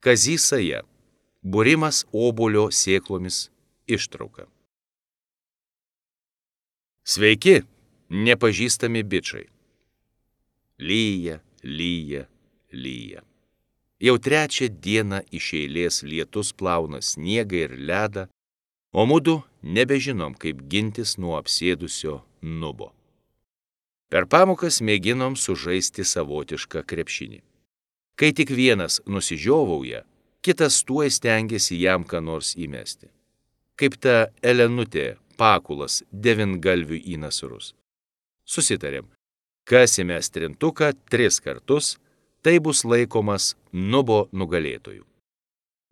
Kazys Saja. Būrimas obuolio sėklomis ištrauka. Sveiki, nepažįstami bičai. Lyja, lyja, lyja. Jau trečią dieną iš eilės lietus plauna sniegą ir ledą, o mudu nebežinom, kaip gintis nuo apsėdusio nubo. Per pamokas mėginom sužaisti savotišką krepšinį. Kai tik vienas nusižiovauja, kitas tuoj stengiasi jam ką nors įmesti. Kaip ta Elenutė Pakulas devyngalviui į nasrus. Susitarėm, kas įmes trintuką 3 kartus, tai bus laikomas nubo nugalėtojų.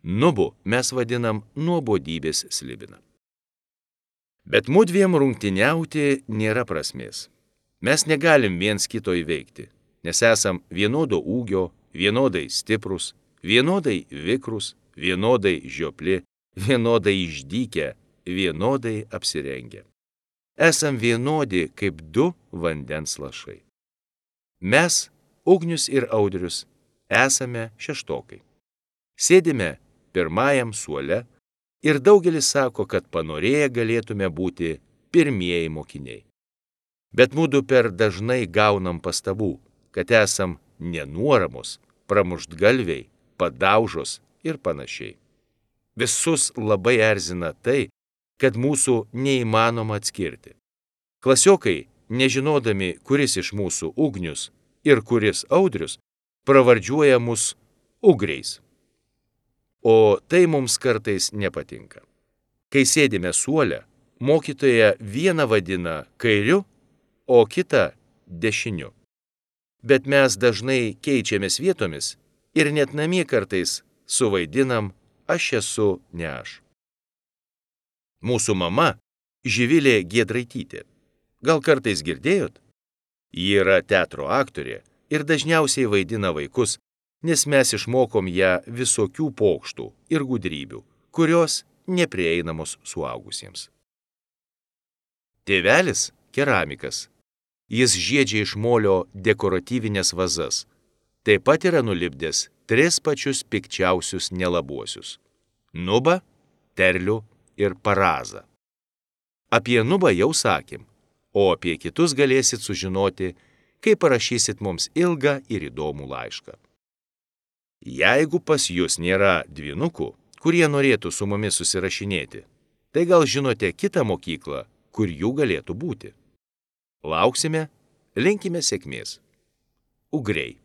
Nubu mes vadinam nuobodybės slibiną. Bet mudviem rungtyniauti nėra prasmės. Mes negalim viens kito įveikti, nes esam vienodo ūgio, vienodai stiprus, vienodai vikrus, vienodai žiopli, vienodai išdykę, vienodai apsirengę. Esam vienodi kaip 2 vandens lašai. Mes, Ugnius ir Audrius, esame šeštokai. Sėdime pirmajam suole ir daugelis sako, kad panorėję galėtume būti pirmieji mokiniai. Bet mudu per dažnai gaunam pastabų, kad esam nenuoramos, pramuštgalviai, padaužos ir panašiai. Visus labai erzina tai, kad mūsų neįmanoma atskirti. Klasiokai, nežinodami, kuris iš mūsų Ugnius ir kuris Audrius, pravardžiuoja mus ugriais. O tai mums kartais nepatinka. Kai sėdime suole, mokytoja vieną vadina kairiu, o kitą dešiniu. Bet mes dažnai keičiamės vietomis ir net namie kartais suvaidinam aš esu ne aš. Mūsų mama Živilė Giedraitytė. Gal kartais girdėjot? Ji yra teatro aktorė ir dažniausiai vaidina vaikus, nes mes išmokom ją visokių pokštų ir gudrybių, kurios neprieinamos suaugusiems. Tėvelis keramikas. Jis žiedžia iš molio dekoratyvinės vazas. Taip pat yra nulipdęs 3 pačius pikčiausius nelabuosius – nubą, terlių ir parazą. Apie nubą jau sakėm, o apie kitus galėsit sužinoti, kai parašysit mums ilgą ir įdomų laišką. Jeigu pas jūs nėra dvynukų, kurie norėtų su mumis susirašinėti, tai gal žinote kitą mokyklą, kur jų galėtų būti. Lauksime, linkime sėkmės. Ugriai.